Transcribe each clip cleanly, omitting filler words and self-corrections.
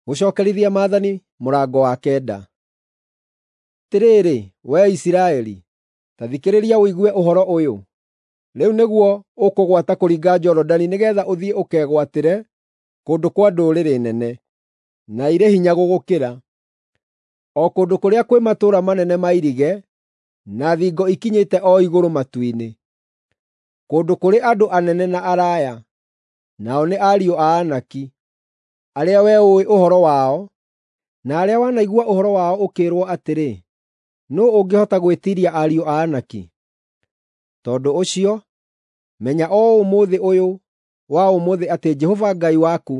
Gũcookerithia maathani mũrango wa kenda. Atĩrĩrĩ, wee Isiraeli, ta thikĩrĩria ũigue ũhoro ũyũ. Rĩu nĩguo ũkũgwata kũringa Jorodani nĩgeetha ũthiĩ ũkegwatĩre kũndũ kwa ndũrĩrĩ nene, na irĩ hinya gũgũkĩra, o kũndũ kũrĩa kwĩ matũũra manene mairige na thingo ikinyĩte o igũrũ matu-inĩ, kũndũ kũrĩ andũ anene na araaya, nao nĩ ariũ a Anaki, arĩa wee ũũĩ ũhoro wao, na arĩa wanaigua ũhoro wao ũkĩĩrwo atĩrĩ, “Nũũ ũngĩhota gwĩtiiria ariũ a Anaki?” Tondũ ũcio, menya o ũmũthĩ ũyũ wa ũmũthĩ atĩ Jehova Ngai waku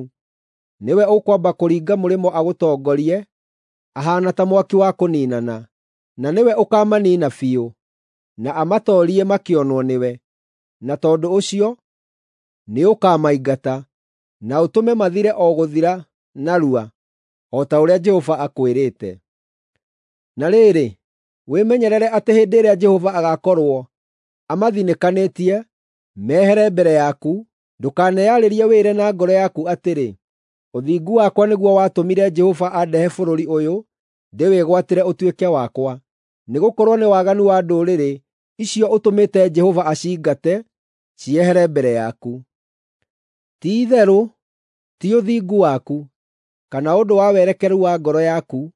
nĩwe ũkwamba kũringa mũrĩmo agũtongorie ahaana ta mwaki wa kũniinana, na nĩwe ũkaamaniina biũ, na amatoorie makĩonwo nĩwe. Na tondũ ũcio nĩũkamaingata, na ũtũme mathire o gũthira narua, o ta ũrĩa Jehova akwĩrĩte. Na rĩrĩ, wĩmenyerere atĩ hĩndĩ ĩrĩa Jehova agaakorwo amathinĩkanĩtie mehere mbere yaku, ndũkaneyarĩrie wĩĩre na ngoro yaku atĩrĩ, “Ũthingu wakwa nĩguo watũmire Jehova andehe bũrũri ũyũ ndĩwĩgwatĩre ũtuĩke wakwa.” Nĩgũkorwo nĩ waganu wa ndũrĩrĩ icio ũtũmĩte Jehova aciingate ciehere mbere yaku. Ti-itherũ ti ũthingu waku, kana ũndũ wa werekeru wa ngoro yaku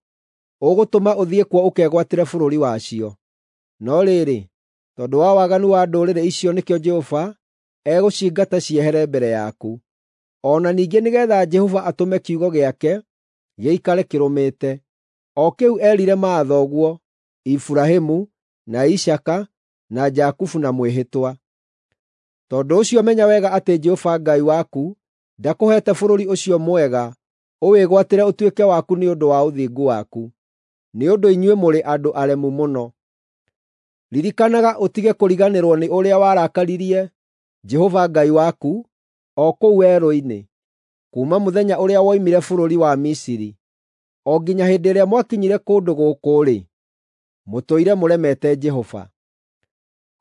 ũgũtũma ũthiĩ kuo ũkegwatĩre bũrũri wacio. No rĩrĩ, tondũ wa waganu wa ndũrĩrĩ icio nĩkĩo Jehova egũciingata ciehere mbere yaku. O na ningĩ nĩgeetha Jehova atũme kiugo gĩake gĩikare kĩrũmĩte, o kĩu eerire maathoguo Iburahĩmu, na Isaaka, na Jakubu na mwĩhĩtwa. Tondũ ũcio menya wega atĩ Jehova Ngai waku ndakũheete bũrũri ũcio mwega ũwĩgwatĩre ũtuĩke waku nĩ ũndũ wa ũthingu waku, nĩ ũndũ inyuĩ mũrĩ andũ aremu mũno. Ririkanaga ũtige kũriganĩrwo nĩ ũrĩa warakaririe Jehova Ngai waku o kũu werũ-inĩ, kuuma mũthenya ũrĩa woimire bũrũri wa Misiri, o nginya hĩndĩ ĩrĩa mwakinyire kũndũ gũkũ-rĩ, mũtũire mũremete Jehova.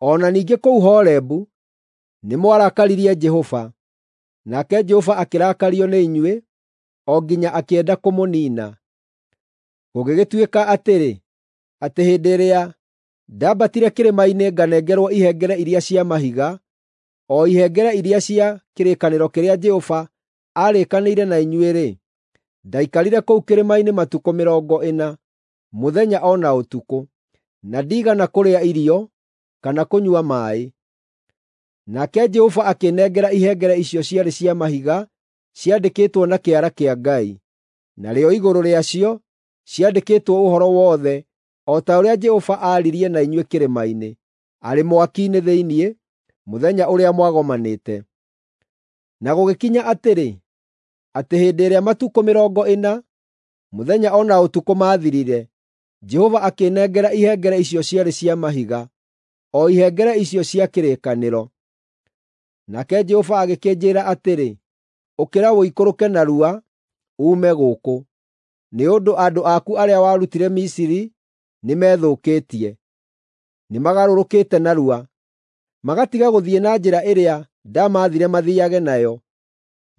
O na ningĩ kũu Horebu nĩmwarakaririe Jehova, nake Jehova akĩrakario nĩ inyuĩ o nginya akĩenda kũmũniina. Gũgĩgĩtuĩka atĩrĩ, atĩ hĩndĩ ĩrĩa ndambatire kĩrĩma-inĩ nganengerwo ihengere iria cia mahiga, o ihengere iria cia kĩrĩkanĩro kĩrĩa Jehova aarĩkanĩire na inyuĩ-rĩ, ndaikarire kũu kĩrĩma-inĩ matukũ mĩrongo ĩna, mũthenya o na ũtukũ, na ndiigana kũrĩa irio kana kũnyua maaĩ. Nake Jehova akĩnengera ihengere icio ciarĩ cia mahiga ciandĩkĩtwo na kĩara kĩa Ngai, narĩo igũrũ rĩacio ciandĩkĩtwo ũhoro wothe o ta ũrĩa Jehova aaririe na inyuĩ kĩrĩma-inĩ, arĩ mwaki-inĩ thĩinĩ, mũthenya ũrĩa mwagomanĩte. Na gũgĩkinya atĩrĩ, atĩ hĩndĩ ĩrĩa matukũ mĩrongo ĩna, mũthenya o na ũtukũ maathirire, Jehova akĩnengera ihengere icio ciarĩ cia mahiga, o ihengere icio cia kĩrĩkanĩro. Nake Jehova agĩkĩnjĩĩra atĩrĩ, “Ũkĩra ũikũrũke narua uume gũkũ, nĩ ũndũ andũ aku arĩa warutire Misiri nĩmethũkĩtie. Nĩmagarũrũkĩte narua, magatiga gũthiĩ na njĩra ĩrĩa ndamaathire mathiiage nayo,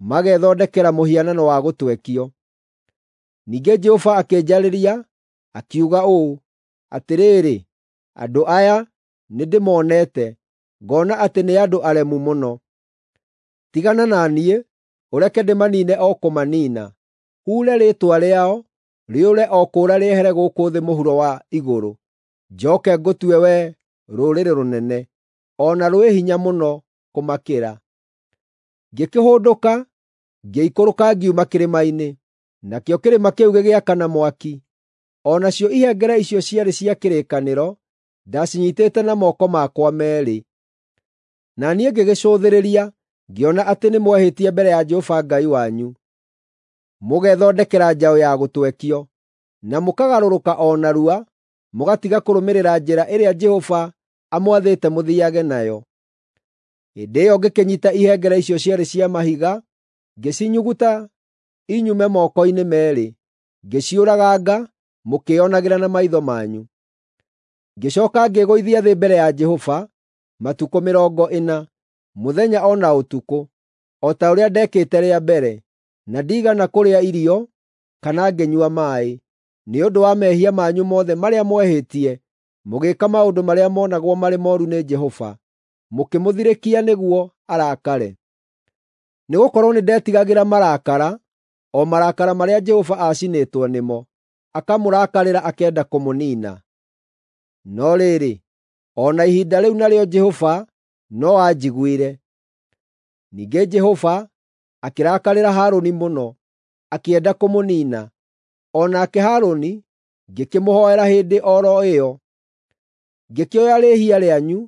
magethondekera mũhianano wa gũtwekio.” Ningĩ Jehova akĩnjarĩria, akiuga ũũ, “Atĩrĩrĩ, andũ aya nĩndĩmonete, ngoona atĩ nĩ andũ aremu mũno. Tigana na niĩ, ũreke ndĩmaniine o kũmaniina. Huure rĩĩtwa rĩao rĩũre o kũũra rĩehere gũkũ thĩ mũhuro wa igũrũ. Njooke ngũtue wee rũrĩrĩ rũnene, o na rwĩ hinya mũno kũmakĩra.” Ngĩkĩhũndũka, ngĩikũrũka ngiuma kĩrĩma-inĩ, nakĩo kĩrĩma kĩu gĩgĩakana mwaki. O nacio ihengere icio ciarĩ cia kĩrĩkanĩro ndacinyiitĩte na moko makwa meerĩ. Na niĩ ngĩgĩcũthĩrĩria ngĩona atĩ nĩmwehĩtie mbere ya Jehova Ngai wanyu, mũgethondekera njaũ ya gũtwekio, na mũkagarũrũka o narua mũgatiga kũrũmĩrĩra njĩra ĩrĩa Jehova amwathĩte mũthiiage nayo. Hĩndĩ ĩyo ngĩkĩnyiita ihengere icio ciarĩ cia mahiga, ngĩcinyuguta inyume moko-inĩ meerĩ, ngĩciũraganga mũkĩĩonagĩra na maitho manyu. Ngĩcooka ngĩĩgũithia thĩ mbere ya Jehova matukũ mĩrongo ĩna, mũthenya o na ũtukũ, o ta ũrĩa ndeekĩte rĩa mbere, na ndiigana kũrĩa irio kana ngĩnyua maaĩ, nĩ ũndũ wa mehia manyu mothe marĩa mwehĩtie, mũgĩĩka maũndũ marĩa monagwo marĩ mooru nĩ Jehova, mũkĩmũthirĩkia nĩguo arakare. Nĩgũkorwo nĩndetigagĩra marakara, o marakara marĩa Jehova aacinĩtwo nĩmo, akamũrakarĩra akenda kũmũniina. No rĩrĩ, o na ihinda rĩu narĩo Jehova no anjiguire. Ningĩ Jehova akĩrakarĩra Harũni mũno, akĩenda kũmũniina. O nake Harũni ngĩkĩmũhoera hĩndĩ o ro ĩyo. Ngĩkĩoya rĩĩhia rĩanyu,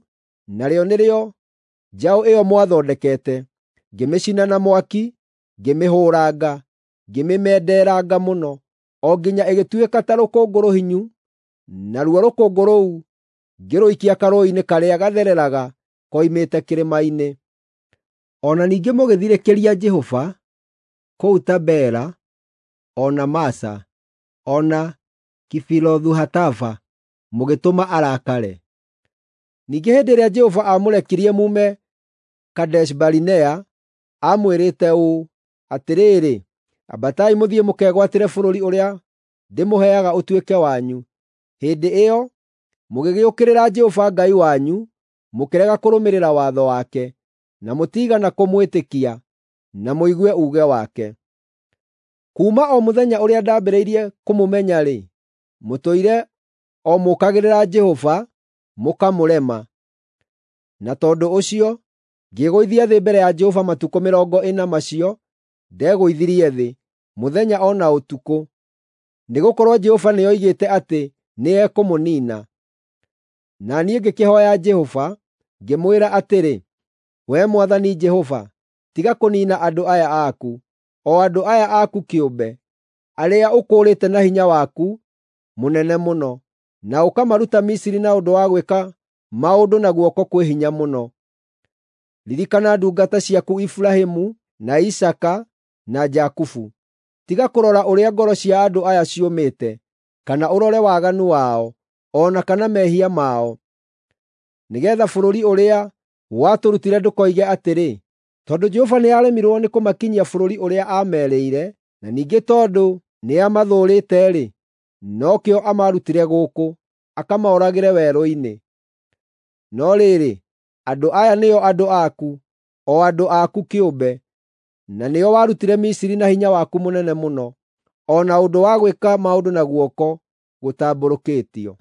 narĩo nĩrĩo njaũ ĩyo mwathondekete, ngĩmĩcina na mwaki, ngĩmĩhũũranga, ngĩmĩmenderanga mũno, o nginya ĩgĩtuĩka ta rũkũngũ rũhinyu, naruo rũkũngũ rũu ngĩrũikia karũũĩ-inĩ karĩa gathereraga koimĩte kĩrĩma-inĩ. O na ningĩ mũgĩthirĩkĩria Jehova kũu Tabera, o na Masa, o na Kibirothu-Hataava, mũgĩtũma arakare. Ningĩ hĩndĩ ĩrĩa Jehova aamũrekirie muume Kadeshi-Barinea, aamwĩrĩte ũũ, “Atĩrĩrĩ, ambatai mũthiĩ mũkegwatĩre bũrũri ũrĩa ndĩmũheaga ũtuĩke wanyu.” Hĩndĩ ĩyo mũgĩgĩũkĩrĩra Jehova Ngai wanyu, mũkĩrega kũrũmĩrĩra watho wake, na mũtiigana kũmwĩtĩkia, na mũigue uuge wake. Kuuma o mũthenya ũrĩa ndambĩrĩirie kũmũmenya-rĩ, mũtũire o mũũkagĩrĩra Jehova, mũkamũrema. Na tondũ ũcio ngĩĩgũithia thĩ mbere ya Jehova matukũ 40 macio ndegũithirie thĩ, mũthenya o na ũtukũ, nĩgũkorwo Jehova nĩoigĩte atĩ nĩekũmũniina. Na niĩ ngĩkĩhooya Jehova, ngĩmwĩra atĩrĩ, “Wee Mwathani Jehova, tiga kũniina andũ aya aku, o andũ aya aku kĩũmbe, arĩa ũkũũrĩte na hinya waku mũnene mũno, na ũkamaruta Misiri na ũndũ wa gwĩka maũndũ na guoko kwĩ hinya mũno. Ririkana ndungata ciaku Iburahĩmu, na Isaaka, na Jakubu. Tiga kũrora ũrĩa ngoro cia andũ aya ciũmĩte, kana ũrore waganu wao, o na kana mehia mao, nĩgeetha bũrũri ũrĩa watũrutire ndũkoige atĩrĩ, ‘Tondũ Jehova nĩaremirwo nĩ kũmakinyia bũrũri ũrĩa aamerĩire, na ningĩ tondũ nĩamathũũrĩte-rĩ, nokĩo amarutire gũkũ, akamaũragĩre werũ-inĩ.’ No rĩrĩ, andũ aya nĩo andũ aku, o andũ aku kĩũmbe, na nĩo warutire Misiri na hinya waku mũnene mũno, o na ũndũ wa gwĩka maũndũ na guoko gũtambũrũkĩtio.”